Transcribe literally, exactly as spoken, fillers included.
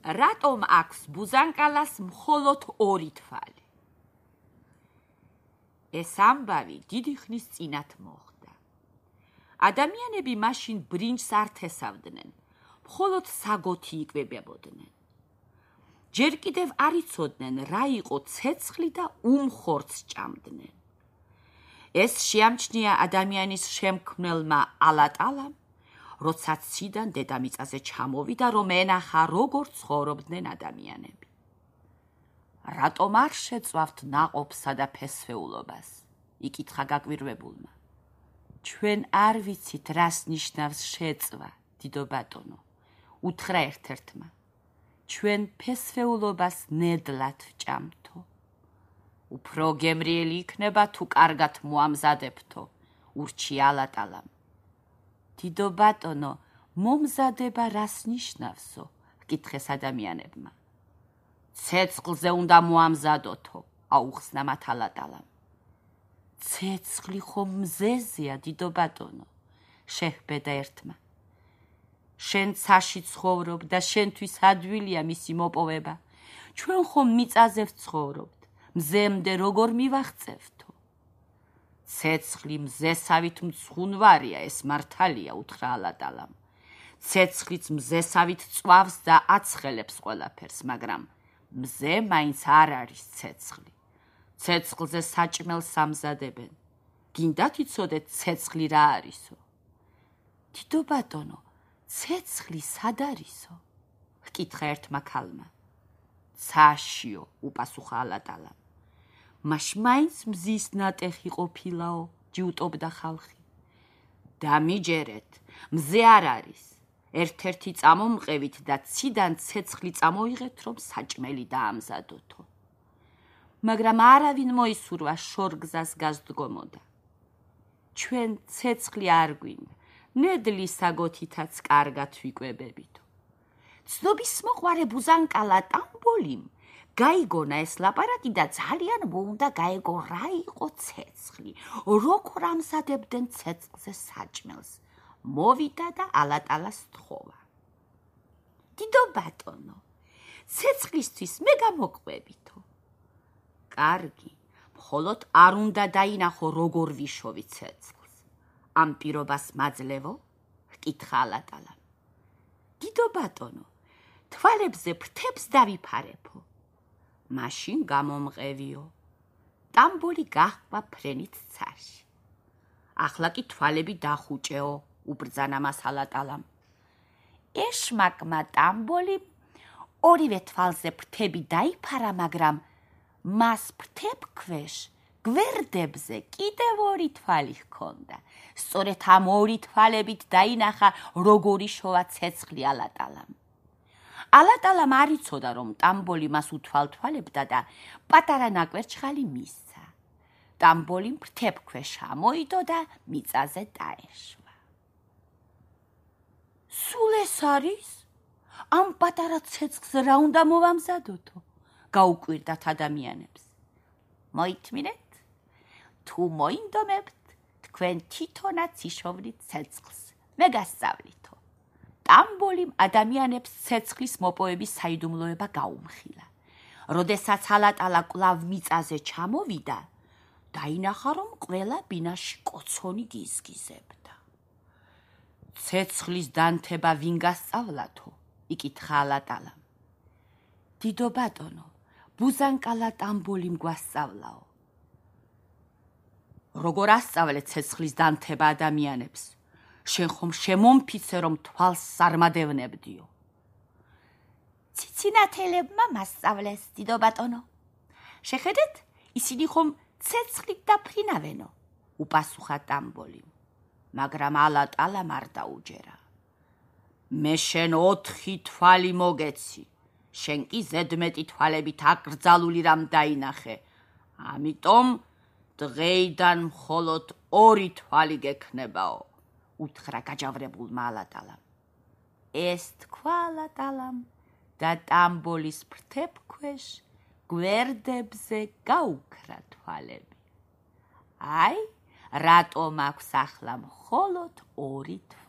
რატომ აქვს ბუზანკალას მხოლოდ ორი თვალი? ეს ამბავი დიდი ხნის წინათ მოხდა. ადამიანები მაშინ ბრინჯს არ თესავდნენ, მხოლოდ საგოთი იკვებებოდნენ. ჯერ კიდევ არ იცოდნენ, რა იყო ცეცხლი და უმხორცს ჭამდნენ. ეს შეამჩნია ადამიანის შემქმნელმა ალატალამ, როცა ციდან დედამიწაზე ჩამოვიდა, რომ ენახა, როგორ ცხოვრობდნენ ადამიანები. რატომ არ შეწვავთ ნაყოფსა და ფესვეულობას? იკითხა გაკვირვებულმა. ჩვენ არ ვიცით, რას ნიშნავს შეწვა, დიდო ბატონო, უთხრა ერთ-ერთმა. ჩვენ ფესვეულობას ნედლად ვჭამთო. უფრო გემრიელი იქნება, თუ კარგად მოამზადებთო, ურჩია ალატალამ. დიდო ბატონო, მომზადება რას ნიშნავსო? ჰკითხეს ადამიანებმა. ცეცხლზე უნდა მოამზადოთო, აუხსნა მათ ალატალამ. ცეცხლი ხომ მზეზეა, დიდო ბატონო, შეჰბედა ერთმა. შენ ცაში ცხოვრობ და შენთვის ადვილია მისი მოპოვება. ჩვენ ხომ მიწაზე ვცხოვრობთ, მზემდე როგორ მივაღწევთო? ცეცხლი მზესავით მცხუნვარია, ეს მართალია, უთხრა ალატალამ. ცეცხლიც მზესავით წვავს და აცხელებს ყველაფერს, მაგრამ მზე მაინც არ არის ცეცხლი. ცეცხლზე საჭმელს ამზადებენ. გინდათ იცოდეთ ცეცხლი რა არისო? დიდო ბატონო, ცეცხლი სად არისო? ჰკითხა ერთმა ქალმა. ცაშიო, უპასუხა ალატალამ. მაშ მაინც მზის ნატეხი ყოფილაო, ჯიუტობდა ხალხი. დამიჯერეთ, მზე არ არის. ერთ-ერთი წამომყევით და ციდან ცეცხლი წამოიღეთ, რომ საჭმელი დაამზადოთო. მაგრამ არავინ მოისურვა შორგზას გასდგომოდა. ჩვენ ცეცხლი არ გვინდა, ნედლი საგოთითაც კარგად ვიკვებებითო. ცნობის მოყვარე ბუზანკალა ტამბოლიმ გაიგონა ეს ლაპარაკი და ძალიან მოუნდა გაეგო რა იყო ცეცხლი, როგორ ამზადებდნენ ცეცხლზე საჭმელს. მოვიდა და ალატალას თხოვა. დიდო ბატონო, ცეცხლისთვის მე გამოყვებითო. კარგი, მხოლოდ არ უნდა დაინახო, როგორ ვიშოვი ცეცხლს. ამ პირობას მაძლევო? ჰკითხა ალატალამ. დიდო ბატონო, თვალებზე ფრთებს დავიფარებო. მაშინ გამომყევიო. ტამბოლი გაჰყვა ფრენით ცაში. ახლა კი თვალები დახუჭეო, უბრძანა მას ალატალამ. ეშმაკმა ტამბოლიმ ორივე თვალზე ფრთები დაიფარა, მაგრამ მას ფრთებქვეშ გვერდებზე კიდევ ორი თვალი ჰქონდა. სწორედ ამ ორი თვალებით დაინახა, როგორ იშოვა ცეცხლი ალატალამ. ალატალამ არ იცოდა, რომ ტამბოლი მას უთვალთვალებდა და პატარა ნაკვერჩხალი მისცა. ტამბოლიმ ფრთებქვეშ ამოიდო და მიწაზე დაეშვა. სულ ეს არის? ამ პატარა ცეცხლს რა უნდა მოვამზადოთო? გაუკვირდათ ადამიანებს. მოითმინეთ, თუ მოინდომებთ, თქვენ თვითონაც იშოვნით ცეცხლს, მე გასწავლითო. ტამბოლიმ ადამიანებს ცეცხლის მოპოვების საიდუმლოება გაუმხილა. როდესაც ალატალა კვლავ მიწაზე ჩამოვიდა, დაინახა, რომ ყველა ბინაში კოცონი გიზგიზებდა. ცეცხლის დანთება ვინ გასწავლათო? იკითხა ალატალამ. დიდო ბატონო, ბუზანკალა ტამბოლიმ გვასწავლაო. როგორ ასწავლეთ ცეცხლის დანთება ადამიანებს? შენ ხომ შემომფიცე, რომ თვალს სარმადევნებდიო. ციცინათელებმა მასწავლეს, დიდო ბატონო. შეხედეთ, ისინი ხომ ცეცხლით დაფრინავენო, უპასუხა ტამბოლიმ. მაგრამ ალატალამ არ დაუჯერა. მე შენ ოთხი თვალი მოგეცი, შენ კი ზედმეტი თვალებით აკრძალული რამ დაინახე, ამიტომ დღეიდან მხოლოდ ორი თვალი გექნებაო, უთხრა გაჯავრებულმა ალატალამ. ეს თქვა ალატალამ და ტამბოლის ფრთებქვეშ გვერდებზე გაუქრა თვალები. აი, რატომ აქვს ახლა მხოლოდ ორი თვალი.